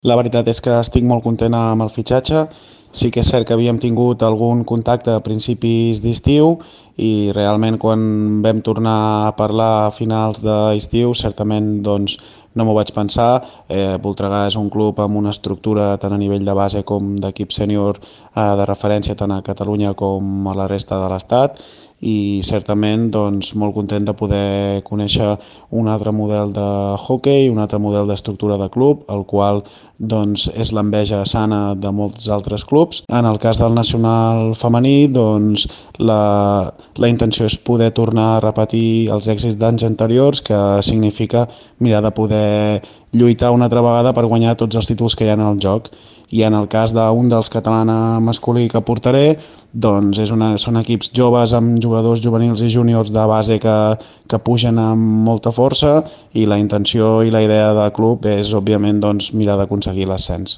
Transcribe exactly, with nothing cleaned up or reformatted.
La veritat és que estic molt content amb el fitxatge. Sí que és cert que havíem tingut algun contacte a principis d'estiu i realment quan vam tornar a parlar a finals d'estiu certament doncs, no m'ho vaig pensar. Eh, Voltregà és un club amb una estructura tant a nivell de base com d'equip sènior eh, de referència tant a Catalunya com a la resta de l'Estat i certament doncs, molt content de poder conèixer un altre model de hockey, un altre model d'estructura de club, el qual doncs, és l'enveja sana de molts altres clubs. En el cas del nacional femení, doncs, la, la intenció és poder tornar a repetir els èxits d'anys anteriors, que significa mirar de poder lluitar una altra vegada per guanyar tots els títols que hi ha en el joc. I en el cas d'un dels catalana masculí que portaré, doncs és una, són equips joves amb jugadors juvenils i júniors de base que, que pugen amb molta força i la intenció i la idea del club és, òbviament, doncs, mirar d'aconseguir l'ascens.